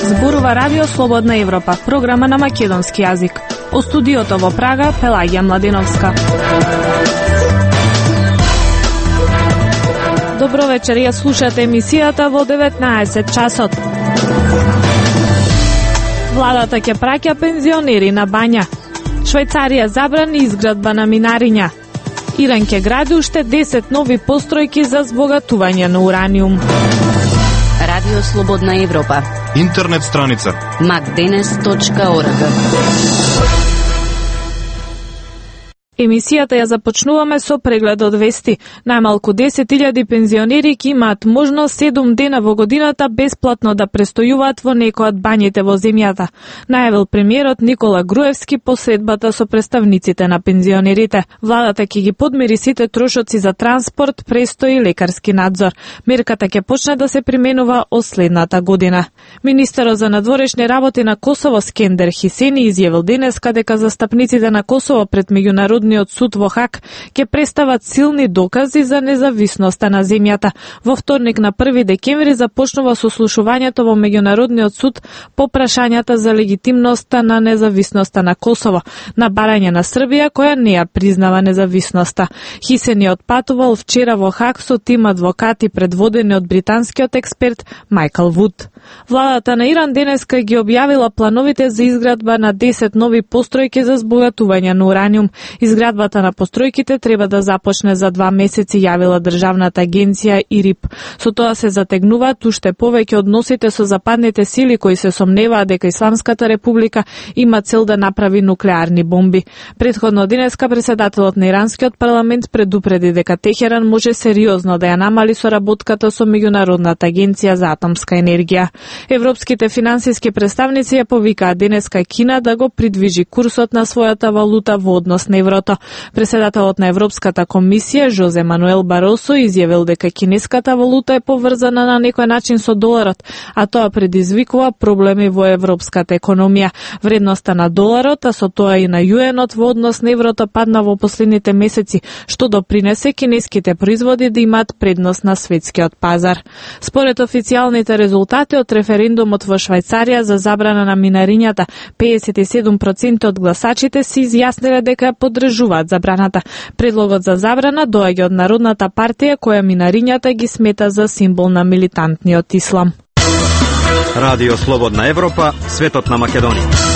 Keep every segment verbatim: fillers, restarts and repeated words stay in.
Зборува Радио Слободна Европа, програма на македонски јазик. О студиото во Прага, Пелагија Младеновска. Добро вечер, ја слушате емисијата во деветнаесет часот. Владата ќе праќа пензионери на бања. Швајцарија забрани изградба на минариња. Иран ќе гради уште десет нови постројки за збогатување на ураниум. Радио Слободна Европа. Интернет страница макденес точка орг. Емисијата ја започнуваме со преглед од вести. Најмалку десет илјади пензионери ќе имаат можност седум дена во годината бесплатно да престојуваат во некој од бањите во земјата, најавил премиерот Никола Груевски по средбата со представниците на пензионерите. Владата ќе ги подмири сите трошоци за транспорт, престој и лекарски надзор. Мерката ќе почне да се применува од следната година. Министерот за надворешни работи на Косово Скендер Хисени изјавил денеска дека застапниците на Косово пред меѓународни од суд во Хаг ќе представат силни докази за независноста на земјата. Во вторник на први декември започнува сослушувањето во меѓународниот суд по прашањата за легитимноста на независноста на Косово, на барање на Србија која не ја признава независноста. Хисени отпатувал вчера во Хаг со тим адвокати предводени од британскиот експерт Майкл Вуд. Владата на Иран денеска ги објавила плановите за изградба на десет нови постројки за збогатување на ураниум. Изградбата на постројките треба да започне за два месеци, јавила државната агенција ИРИП. Со тоа се затегнуваат уште повеќе односите со западните сили кои се сомневаат дека Исламската република има цел да направи нуклеарни бомби. Претходно денеска председателот на иранскиот парламент предупреди дека Техеран може сериозно да ја намали соработката со меѓународната агенција за атомска енергија. Европските финансиски представници ја повикаат денеска Кина да го придвижи курсот на својата валута во однос на еврото. Преседателот на Европската комисија Жозе Мануел Баросо изјавил дека кинеската валута е поврзана на некој начин со доларот, а тоа предизвикува проблеми во европската економија. Вредноста на доларот, а со тоа и на јуенот во однос на еврото падна во последните месеци, што допринесе кинеските производи да имаат предност на светскиот пазар. Според официјалните резултати од референдумот во Швајцарија за забрана на минарињата, педесет и седум проценти од гласачите се изјасниле дека ја поддржуваат забраната. Предлогот за забрана доаѓа од Народната партија која минарињата ги смета за символ на милитантниот ислам. Радио Слободна Европа, светот на Македонија.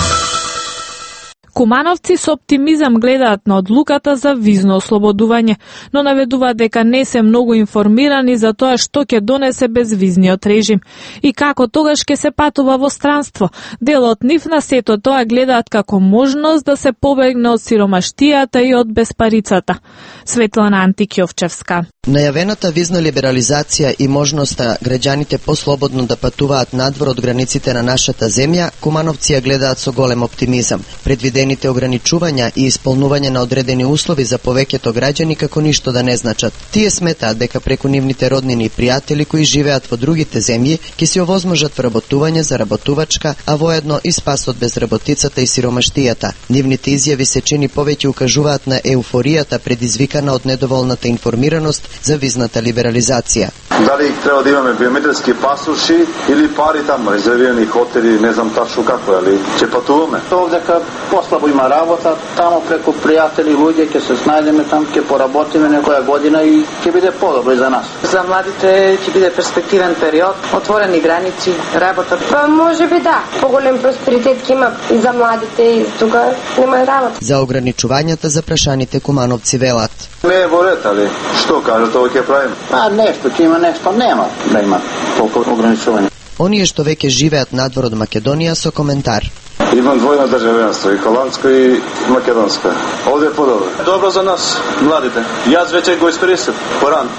Кумановци со оптимизам гледаат на одлуката за визно ослободување, но наведуваат дека не се многу информирани за тоа што ќе донесе безвизниот режим и како тогаш ќе се патува во странство. Дел од нив на сето тоа гледаат како можност да се побегне од сиромаштијата и од безпарицата. Светлана Антикјовчевска. Најавената визна либерализација и можноста граѓаните послободно да патуваат надвор од границите на нашата земја, кумановци ја гледаат со голем оптимизам. Предвидените ограничувања и исполнување на одредени услови за повеќето граѓани како ништо да не значат. Тие сметаат дека преку нивните роднини и пријатели кои живеат во другите земји ќе се овозможат вработување за работувачка, а воедно и спас од безработицата и сиромаштијата. Нивните изјави се чини повеќе укажуваат на еуфоријата предизвикана од недоволната информираност за визната либерализација. Дали треба да имаме биометриски пасоши или пари таму, резервирани хотели, не знам тачно како, али ќе патуваме. Овдека послабо има работа, таму преку пријатели, луѓе ќе се снајдеме там, ќе поработиме некоја година и ќе биде подобро и за нас. За младите ќе биде перспективен период, отворени граници, работа. Па може би да, поголем просперитет ќе има и за младите и тука нема работа. За ограничувањата за прашаните кумановци велат. Не е во ред, али што кажат, ова ќе правим? А нешто ќе има, нешто нема да има толку ограничување. Оние што веќе живеат надвор од Македонија со коментар. Имам двојно државјанство, и холандско и македонско. Овде е подобро. Добро за нас, младите. Јас веќе го искористив поран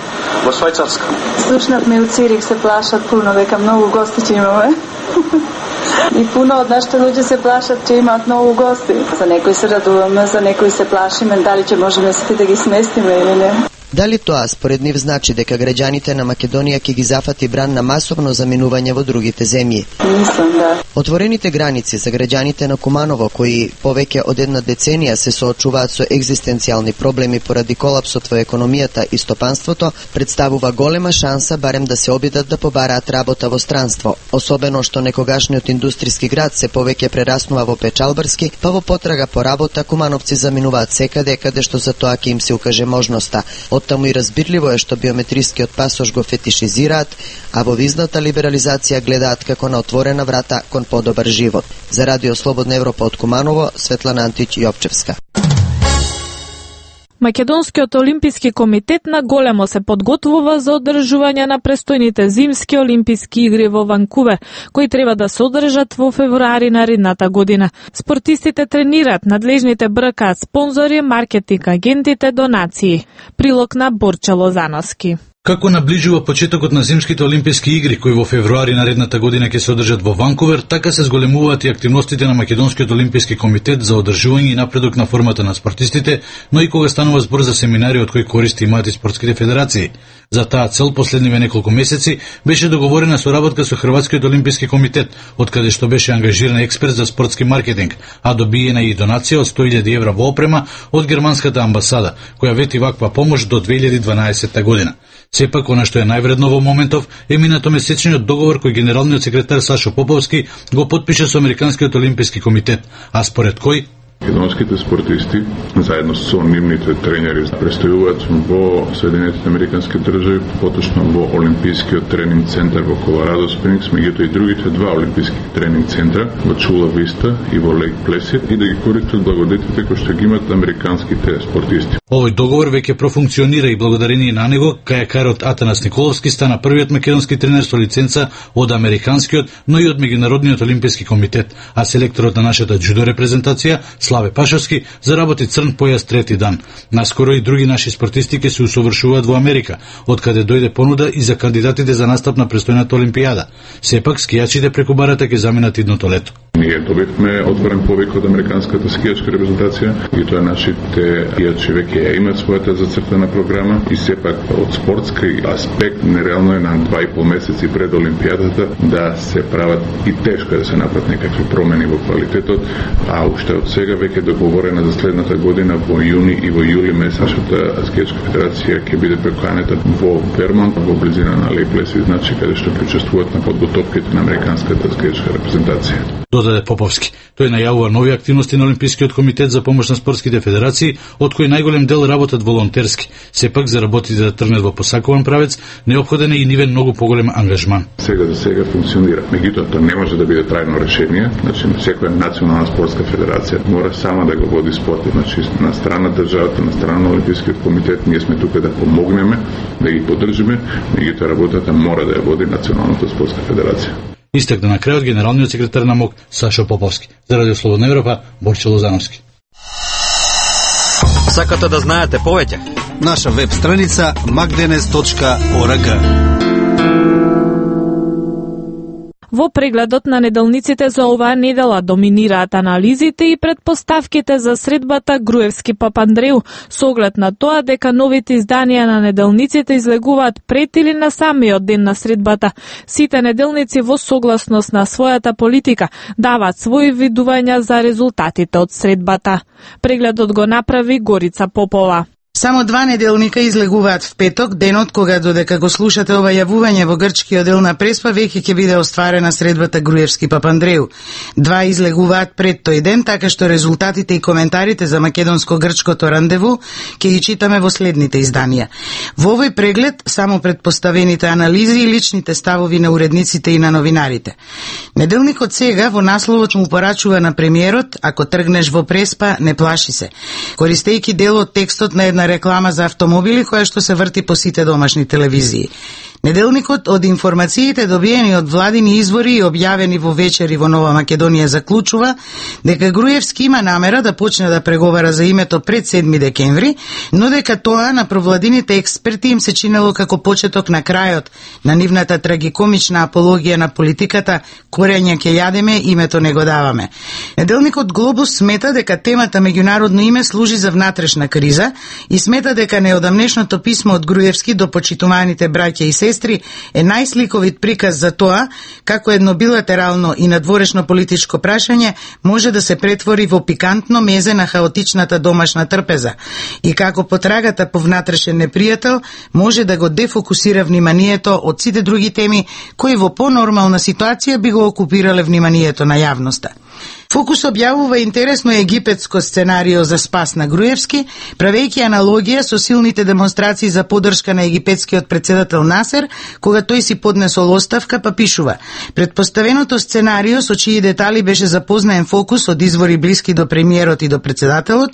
во Швајцарска. Слушнавме у Цирих се плашат пуно дека многу гости ќе имаме. И пуно од нашите луѓе се плашат че имаат многу гости. За некои се радуваме, за некои се плашиме, дали ќе можеме сите да ги сместиме или не. Дали тоа според нив значи дека граѓаните на Македонија ќе ги зафати бран на масовно заминување во другите земји? Мислам, да. Отворените граници за граѓаните на Куманово, кои повеќе од една деценија се соочуваат со екзистенцијални проблеми поради колапсот во економијата и стопанството, представува голема шанса барем да се обидат да побараат работа во странство, особено што некогашниот индустријски град се повеќе прераснува во печалбарски, па во потрага по работа кумановци заминуваат секаде каде што за тоа ќе им се укаже можноста. Оттаму и разбирливо е што биометрискиот пасош го фетишизираат, а во визната либерализација гледаат како на отворена врата кон подобар живот. За Радио Слободна Европа од Куманово, Светлана Антич Јовчевска. Македонскиот олимписки комитет на големо се подготвува за одржување на престојните зимски олимписки игри во Ванкувер, кои треба да се одржат во февруари наредната година. Спортистите тренираат, надлежните бркаат спонзори, маркетинг агентите, донации. Прилог на Борче Лозановски. Како наближува почетокот на зимските олимписки игри, кои во февруари наредната година ќе се одржат во Ванкувер, така се зголемуваат и активностите на Македонскиот олимписки комитет за одржување и напредок на формата на спортистите, но и кога станува збор за семинари од кои користи имаат и спортските федерации. За таа цел последниве неколку месеци беше договорена соработка со Хрватскиот олимписки комитет, од каде што беше ангажиран експерт за спортски маркетинг, а добиена и донација од сто илјади евра во опрема од германската амбасада, која вети ваква помош до две илјади дванаесетта година. Сепак, она што е највредно во моментов е минато месечниот договор кој генералниот секретар Сашо Поповски го потпиша со Американскиот олимписки комитет, а според кој Македонските спортисти, заедно со нивните тренери, престојуваат во Соединетите Американски држави, поточно во Олимпискиот тренинг центар во Колорадо Спрингс, меѓутоа и другите два олимписки тренинг центра во Чула Виста и во Лейк Плесид, и да ги користат благодетите кои што ги имат американските спортисти. Овој договор веќе профункционира и благодарение на него, кајакарот Атанас Николовски стана првиот македонски тренер со лиценца од Американскиот, но и од Меѓународниот олимписки комитет, а селекторот на нашата џудо репрезентација Славе Пашовски заработи црн појас трети дан. Наскоро и други наши спортисти ќе се усовршуваат во Америка, од каде дојде понуда и за кандидатите за настап на престојната олимпијада. Сепак скијачите преку барата ќе заминат идното лето. Ние добивме отворен повик од американската скијачка репрезентација и тоа нашите скијачи веќе имаат својата зацртана програма и сепак од спортски аспект нереално е на два и пол месеци пред олимпијадата да се прават и тешко да се направат некакви промени во квалитетот, а уште од сега веќе договорена за следната година во јуни и во јули месец нашата скијачка федерација ќе биде преканета во Вермонт, во близина на Лейк Плесид, значи каде што причествуваат на подготовките на американската скијачка репрезентација. Додаде Поповски. Тој најавува нови активности на Олимпискиот комитет за помош на спортските федерации, од кои најголем дел работат волонтерски. Сепак за работите да тргнат во посакуван правец, неопходен е и нивен многу поголем ангажман. Сега за сега функционира. Меѓутоа тоа не може да биде трајно решение, значи секоја национална спортска федерација мора сама да го води спортот, значи на страна државата, на страна на Олимпискиот комитет, ние сме тука да помогнеме, да ги поддржиме, меѓутоа работата мора да ја води националната спортска федерација. Истакна на крајот генералниот секретар на МОК Сашо Поповски. За Радио Слободна Европа, Борче Лозановски. Сакате да знаете повеќе? Наша веб страница макденес точка орг. Во прегледот на неделниците за оваа недела доминираат анализите и предпоставките за средбата Груевски Папандреу, со оглед на тоа дека новите изданија на неделниците излегуваат пред или на самиот ден на средбата. Сите неделници во согласност на својата политика даваат своји видувања за резултатите од средбата. Прегледот го направи Горица Попова. Само два неделника излегуваат в петок, денот кога додека го слушате ова јавување во грчкиот дел на Преспа, веќе ќе биде остварена средбата Груевски Папандреу. Два излегуваат пред тој ден, така што резултатите и коментарите за македонско-грчкото рандеву ќе ги читаме во следните изданија. Во овој преглед само предпоставените анализи и личните ставови на уредниците и на новинарите. Неделникот сега во насловот му порачува на премиерот: ако тргнеш во Преспа, не плаши се, користејќи дел од текстот на една реклама за автомобили која што се врти по сите домашни телевизии. Неделникот од информациите добиени од владини извори и објавени во вечери во Нова Македонија заклучува дека Груевски има намера да почне да преговара за името пред седми декември, но дека тоа на провладините експерти им се чинело како почеток на крајот на нивната трагикомична апологија на политиката "Корење ќе јадеме, името не го даваме". Неделникот Глобус смета дека темата меѓународно име служи за внатрешна криза и смета дека неодамнешното писмо од Груевски до почитуваните браќа и сестри е најсликовит приказ за тоа како едно билатерално и надворешно политичко прашање може да се претвори во пикантно мезе на хаотичната домашна трпеза и како потрагата по внатрешен непријател може да го дефокусира вниманието од сите други теми кои во понормална ситуација би го окупирале вниманието на јавноста. Фокус објавува интересно египетско сценарио за спас на Груевски, правејќи аналогија со силните демонстрации за поддршка на египетскиот председател Насер, кога тој си поднесол оставка, па пишува: предпоставеното сценарио со чии детали беше запознаен Фокус од извори блиски до премиерот и до председателот,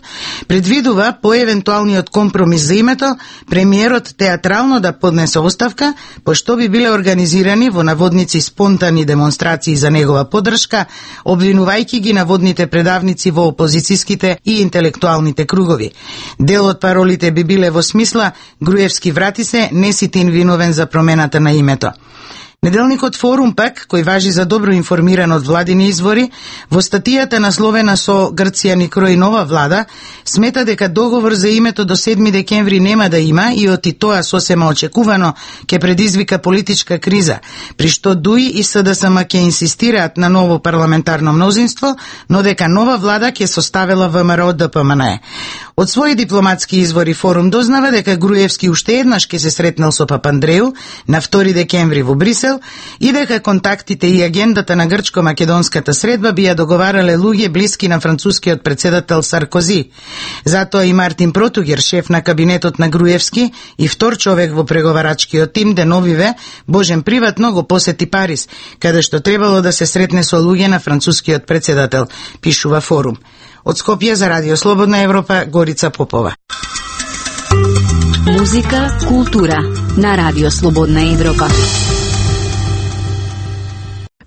предвидува по евентуалниот компромис за името, премиерот театрално да поднесе оставка, пошто би биле организирани во наводници спонтани демонстрации за негова поддршка, обвинувајќи ги наводните предавници во опозицијските и интелектуалните кругови. Дел од паролите би биле во смисла: Груевски врати се, не си ти виновен за промената на името. Неделникот Форум пак, кој важи за добро информиран од владини извори, во статијата насловена со "Грција ни крои нова влада", смета дека договор за името до седми декември нема да има и оти тоа сосема очекувано ќе предизвика политичка криза, при што ДУИ и СДСМ ќе инсистираат на ново парламентарно мнозинство, но дека нова влада ќе составила ВМРО ДПМНЕ. Од своји дипломатски извори Форум дознава дека Груевски уште еднаш ќе се сретнал со Папандреу на втори декември во Брисел и дека контактите и агендата на грчко-македонската средба би ја договарале луѓе блиски на францускиот председател Саркози. Затоа и Мартин Протугер, шеф на кабинетот на Груевски и втор човек во преговарачкиот тим, деновиве, Божен приватно го посети Париз, каде што требало да се сретне со луѓе на францускиот председател, пишува Форум. Од Скопје за Радио Слободна Европа, Горица Попова. Музика, култура на Радио Слободна Европа.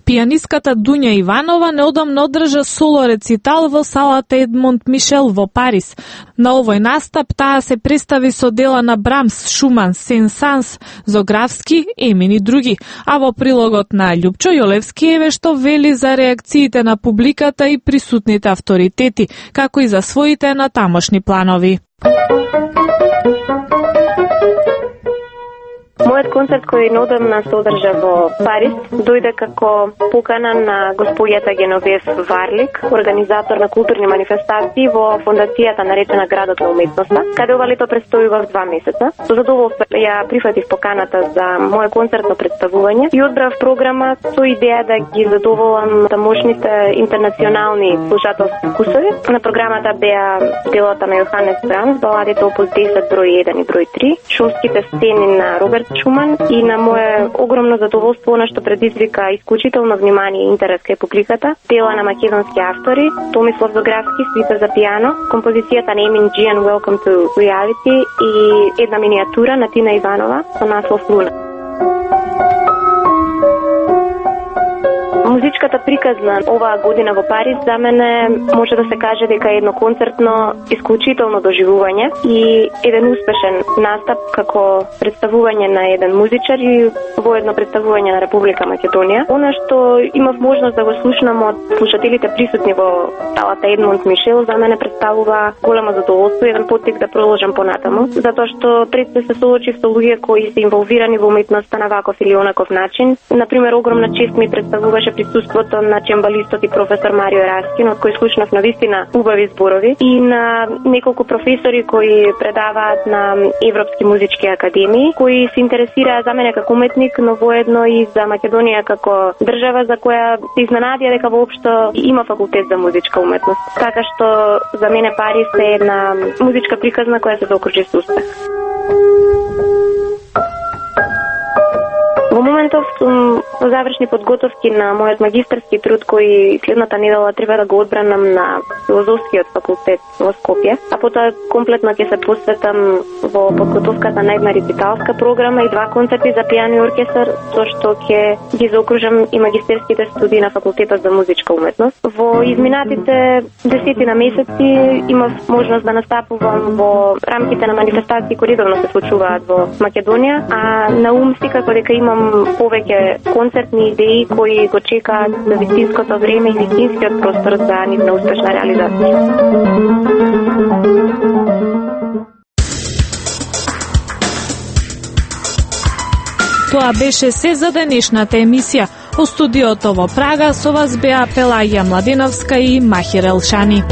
Пијанистката Дуња Иванова неодамно одржа соло рецитал во салата Едмонд Мишел во Париз. На овој настап таа се представи со дела на Брамс, Шуман, Сен-Санс, Зографски, Емин и други, а во прилогот на Љупчо Јолевски еве што вели за реакциите на публиката и присутните авторитети, како и за своите натамошни планови. Мојот концерт кој неодамна се одржа во Париз дојде како покана на господјата Геновев Варлик, организатор на културни манифестации во фондацијата наречена Градот на уметноста, каде ова лето престојував два месеца. Со задоволство ја прифатив поканата за моје концертно представување и одбрав програма со идеја да ги задоволам тамошните интернационални слушателски вкусови. На програмата беа делата на Јоханес Брамс, баладите опус десет број еден и број три, шумските сцени на Роберт Шуман и на мое огромно задоволство она што предизвика исклучително внимание и интерес кај публиката, дела на македонски автори, Томислав Зографски, свита за пијано, композицијата на Емин Джиан Welcome to Reality и една миниатура на Тина Иванова со наслов Луна. Музичката приказна оваа година во Париз за мене може да се каже дека е едно концертно исклучително доживување и еден успешен настап како представување на еден музичар и воедно представување на Република Македонија. Она што имав можност да го слушнам од слушателите присутни во салата Едмонд Мишел за мене представува големо задоволство и еден поттик да продолжам понатаму, затоа што пред се се соочив со луѓе кои се инволвирани во уметноста на ваков или онаков начин. Например, огромна чест ми представуваше присуството на чембалистот и професор Марио Раскин, од кој слушнав навистина убави зборови, и на неколку професори кои предаваат на европски музички академии, кои се интересираа за мене како уметник, но воедно и за Македонија како држава за која се изненадија дека воопшто има факултет за музичка уметност. Така што за мене Париз е една музичка приказна која се заокружи со успех. Во моментов сум во завршни подготовки на мојот магистарски труд кој следната недела треба да го одбранам на филозофскиот факултет во Скопје, а потоа комплетно ќе се посветам во подготовката на една рециталска програма и два концерти за пијано и оркестар, со што ќе ги заокружам и магистерските студии на факултетот за музичка уметност. Во изминатите десетина месеци имав можност да настапувам во рамките на манифестации кои редовно се случуваат во Македонија, а на ум си како дека имам повеќе концертни идеи кои го чекаат за вистинското време и вистинскиот простор за нивна успешна реализација. Тоа беше се за денешната емисија. Во студиото во Прага со вас беа Пелагија Младеновска и Махир Елшани.